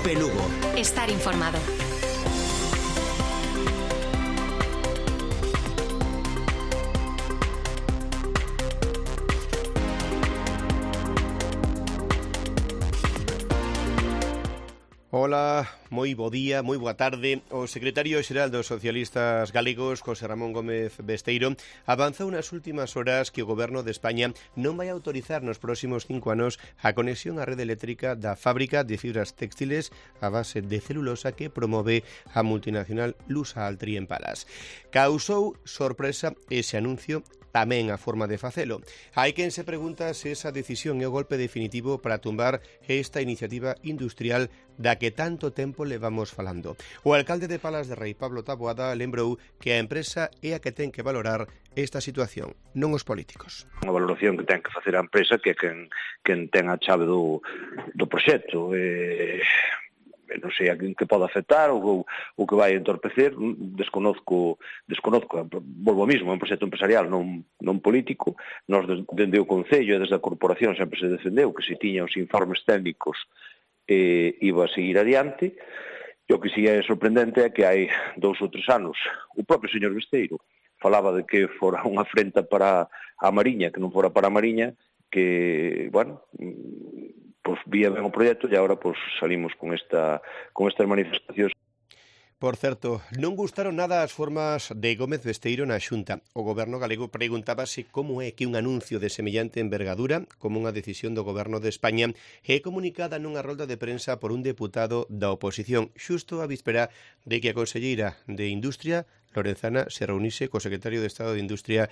Cope Lugo. Estar informado. Ola, moi bo día, moi boa tarde. O secretario xeral dos socialistas galegos, José Ramón Gómez Besteiro, avanzou nas últimas horas que o Goberno de España non vai autorizar nos próximos 5 anos a conexión á rede eléctrica da fábrica de fibras textiles a base de celulosa que promove a multinacional Lusa Altri en Palas. Causou sorpresa ese anuncio, tamén a forma de facelo. Hai quen se pregunta se esa decisión é o golpe definitivo para tumbar esta iniciativa industrial da que tanto tempo levamos falando. O alcalde de Palas de Rei, Pablo Taboada, lembrou que a empresa é a que ten que valorar esta situación, non os políticos. Unha valoración que ten que facer a empresa, que é quen ten a chave do proxecto. Non sei a quen que pode afectar ou que vai entorpecer, desconozco, volvo ao mismo, é un proxecto empresarial, non político. Nós dende o Concello e desde a Corporación sempre se defendeu que se tiña os informes técnicos iba a seguir adiante. E o que si é sorprendente é que hai 2 ou 3 anos o propio señor Besteiro falaba de que fora unha afrenta para a Mariña, que non fora para a Mariña, que, bueno, pues vía ben o proxecto e agora pues salimos con estas manifestacións. Por certo, non gustaron nada as formas de Gómez Besteiro na Xunta. O Goberno galego preguntábase como é que un anuncio de semellante envergadura, como unha decisión do Goberno de España, é comunicada nunha rolda de prensa por un deputado da oposición, xusto a víspera de que a conselleira de Industria, Lorenzana, se reunise co secretario de Estado de Industria.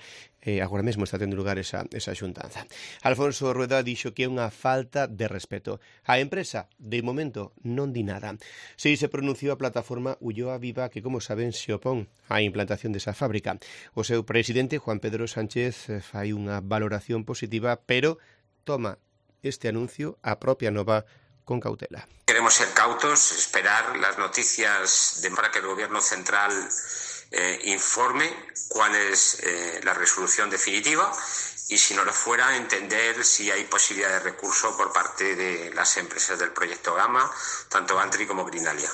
Agora mesmo está tendo lugar esa xuntanza. Alfonso Rueda dixo que é unha falta de respeto. A empresa, de momento, non di nada. Si se pronunciou a plataforma Ulloa Viva, que, como saben, se opón á implantación desa fábrica. O seu presidente, Juan Pedro Sánchez, fai unha valoración positiva, pero toma este anuncio, a propia Nova, con cautela. Queremos ser cautos, esperar las noticias para que el Gobierno central informe cuál es la resolución definitiva y, si no lo fuera, entender si hay posibilidad de recurso por parte de las empresas del proyecto Gama, tanto Antri como Greenalia.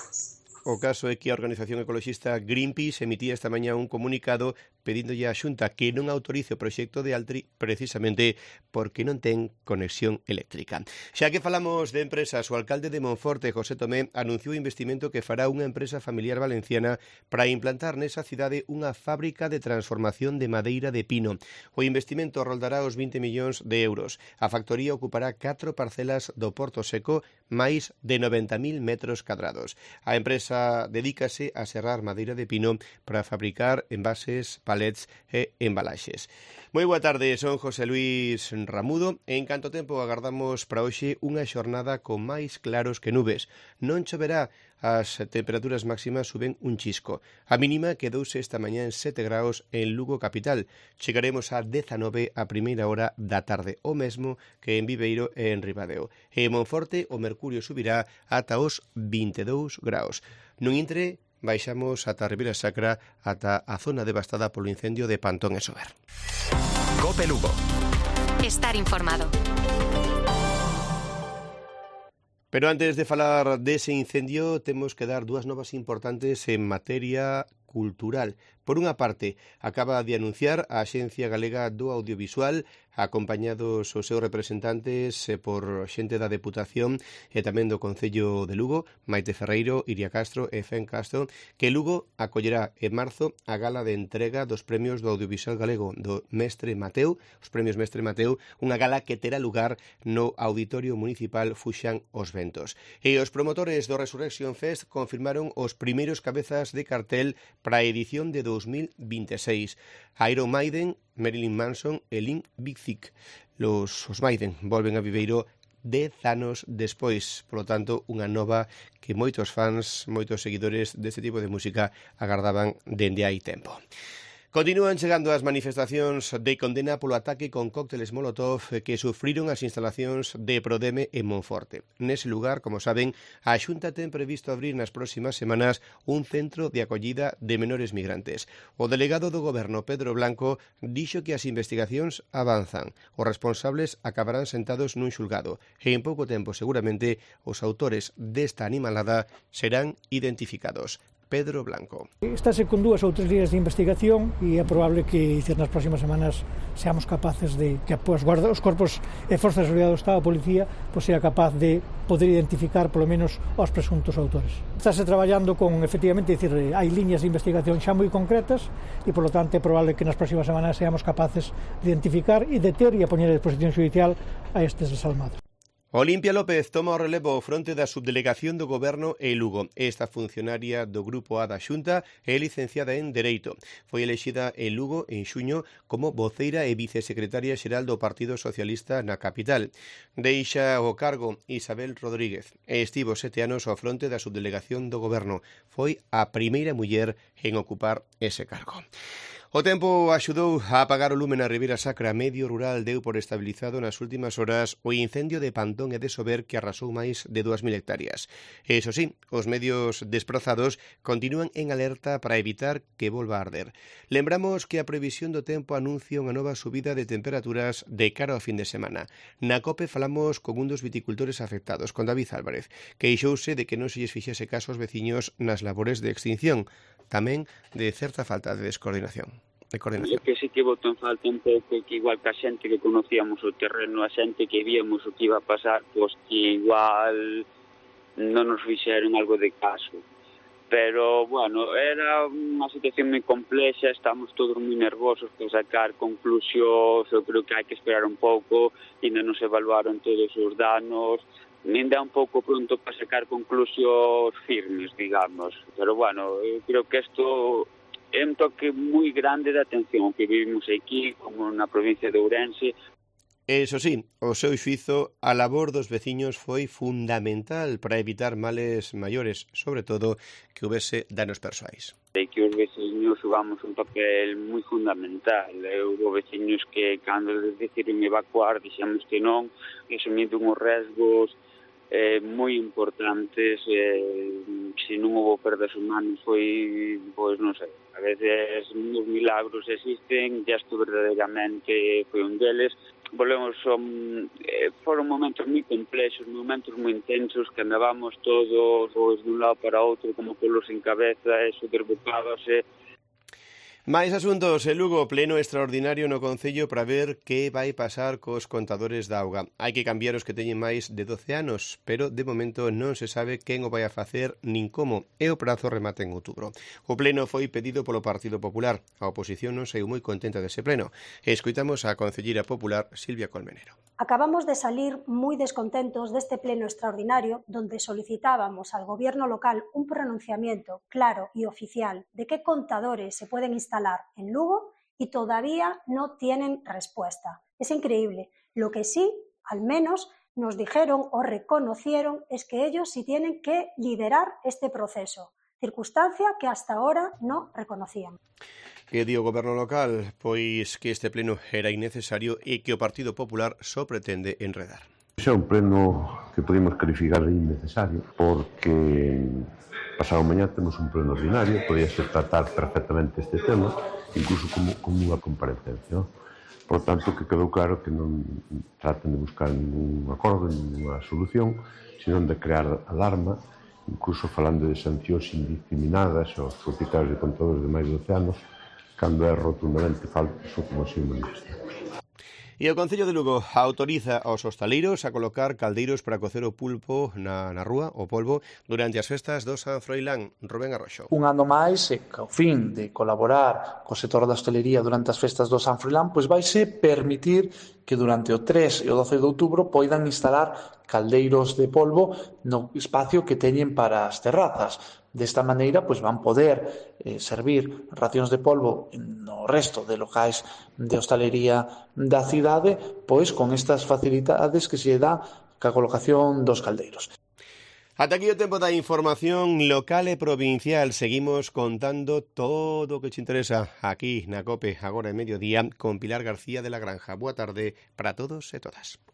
O caso é que a organización ecoloxista Greenpeace emitía esta mañá un comunicado pedíndolle á Xunta que non autorice o proxecto de Altri precisamente porque non ten conexión eléctrica. Xa que falamos de empresas, o alcalde de Monforte, José Tomé, anunciou o investimento que fará unha empresa familiar valenciana para implantar nesa cidade unha fábrica de transformación de madeira de pino. O investimento roldará os 20 millóns de euros. A factoría ocupará 4 parcelas do Porto Seco, máis de 90.000 metros cadrados. A empresa dedícase a serrar madeira de pino para fabricar envases, palets e embalaxes. Moi boa tarde, son José Luis Ramudo. En canto tempo agardamos para hoxe unha xornada con máis claros que nubes. Non choverá, as temperaturas máximas suben un chisco. A mínima quedouse esta mañá en 7 graus en Lugo capital. Chegaremos a 19 a primeira hora da tarde, o mesmo que en Viveiro e en Ribadeo. En Monforte o mercurio subirá ata os 22 graus. Nun intre, baixamos ata a Ribeira Sacra, ata a zona devastada polo incendio de Pantón e Sober. Cope Lugo. Estar informado. Pero antes de falar dese incendio, temos que dar 2 novas importantes en materia cultural. Por unha parte, acaba de anunciar a Axencia Galega do Audiovisual, acompañados os seus representantes por xente da Deputación e tamén do Concello de Lugo, Maite Ferreiro, Iria Castro e Fen Castro, que Lugo acollerá en marzo a gala de entrega dos premios do audiovisual galego do Mestre Mateu, os premios Mestre Mateu, unha gala que terá lugar no Auditorio Municipal Fuxan os Ventos. E os promotores do Resurrection Fest confirmaron os primeiros cabezas de cartel para a edición de 2026. Iron Maiden, Marilyn Manson e Limp Bizkit. Os Maiden volven a Viveiro 10 anos despois, polo tanto, unha nova que moitos fans, moitos seguidores deste tipo de música agardaban dende hai tempo. Continúan chegando as manifestacións de condena polo ataque con cócteles Molotov que sufriron as instalacións de Prodeme en Monforte. Nese lugar, como saben, a Xunta ten previsto abrir nas próximas semanas un centro de acollida de menores migrantes. O delegado do Goberno, Pedro Blanco, dixo que as investigacións avanzan. Os responsables acabarán sentados nun xulgado e en pouco tempo, seguramente, os autores desta animalada serán identificados. Pedro Blanco. Estáse con 2 ou 3 líneas de investigación e é probable que nas próximas semanas seamos capaces de que os corpos e forzas de seguridade do Estado, a policía, sea capaz de poder identificar polo menos os presuntos autores. Estáse traballando con, efectivamente, hai líneas de investigación xa moi concretas e, polo tanto, é probable que nas próximas semanas seamos capaces de identificar e deter e a poñer a disposición judicial a estes desalmados. Olimpia López toma o relevo ao fronte da subdelegación do Goberno en Lugo. Esta funcionaria do Grupo A da Xunta é licenciada en Dereito. Foi elexida en Lugo en xuño como voceira e vicesecretaria xeral do Partido Socialista na capital. Deixa o cargo Isabel Rodríguez e estivo 7 anos ao fronte da subdelegación do Goberno. Foi a primeira muller en ocupar ese cargo. O tempo axudou a apagar o lume na Ribeira Sacra. Medio Rural deu por estabilizado nas últimas horas o incendio de Pantón e de Sober que arrasou máis de 2.000 hectáreas. Eso sí, os medios desprazados continúan en alerta para evitar que volva a arder. Lembramos que a previsión do tempo anuncia unha nova subida de temperaturas de cara ao fin de semana. Na COPE falamos con un dos viticultores afectados, con David Álvarez, que queixouse de que non se lles fixese caso aos veciños nas labores de extinción, tamén de certa falta de descoordinación. Eu que sí que boto en falta un pouco que igual que a xente que conocíamos o terreno, a xente que víamos o que iba a pasar, pois que igual non nos fixeron algo de caso. Pero, bueno, era unha situación moi complexa, estamos todos moi nervosos por sacar conclusións, eu creo que hai que esperar un pouco, ainda non se evaluaron todos os danos, ainda un pouco pronto para sacar conclusións firmes, digamos. Pero, bueno, eu creo que isto é un toque moi grande de atención que vivimos aquí, como na provincia de Ourense. Eso sí, o seu xuízo, a labor dos veciños foi fundamental para evitar males maiores, sobre todo que houvese danos persoais. E que os veciños xogamos un papel moi fundamental. Houve veciños que, cando decidiron evacuar, dixemos que non, asumindo uns resgos moi importantes, se non houve perdas humanas foi, pois non sei, a veces uns milagros existen, e isto verdadeiramente foi un deles. Foron momentos moi complexos, momentos moi intensos, que andábamos todos de un lado para outro como polos en cabeza, eso desbocábase. Máis asuntos. En Lugo, pleno extraordinario no Concello para ver que vai pasar cos contadores da auga. Hai que cambiar os que teñen máis de 12 anos, pero de momento non se sabe quen o vai a facer nin como, e o prazo remata en outubro. O pleno foi pedido polo Partido Popular. A oposición non saiu moi contenta dese pleno. Escoitamos a concelleira popular Silvia Colmenero. Acabamos de salir moi descontentos deste pleno extraordinario donde solicitábamos al gobierno local un pronunciamiento claro y oficial de qué contadores se pueden instalar en Lugo y todavía no tienen respuesta. Es increíble. Lo que sí, al menos, nos dijeron o reconocieron es que ellos sí tienen que liderar este proceso, circunstancia que hasta ahora no reconocían. Que di o Goberno local? Pois que este pleno era innecesario e que o Partido Popular só pretende enredar. É un pleno que podemos calificar de innecesario porque pasado mañá temos un pleno ordinario, podíase tratar perfectamente este tema, incluso como unha comparecencia. Por tanto, que quedou claro que non traten de buscar ningún acordo, ninguna solución, senón de crear alarma, incluso falando de sancións indiscriminadas aos propietarios de contadores de máis de 12 anos, cando é rotundamente falso, como así manifestamos. E o Concello de Lugo autoriza aos hostaleiros a colocar caldeiros para cocer o pulpo na rúa, o polvo, durante as festas do San Froilán. Rubén Arroxo. Un ano máis, e ao fin de colaborar co sector da hostalería durante as festas do San Froilán, pois vaise permitir que durante o 3 e o 12 de outubro poidan instalar caldeiros de polvo no espacio que teñen para as terrazas. Desta maneira, pois van poder servir racións de polvo no resto de locais de hostalería da cidade, pois con estas facilidades que se dá ca colocación dos caldeiros. Ata aquí o tempo da información local e provincial. Seguimos contando todo o que te interesa aquí na COPE, agora en mediodía, con Pilar García de la Granja. Boa tarde para todos e todas.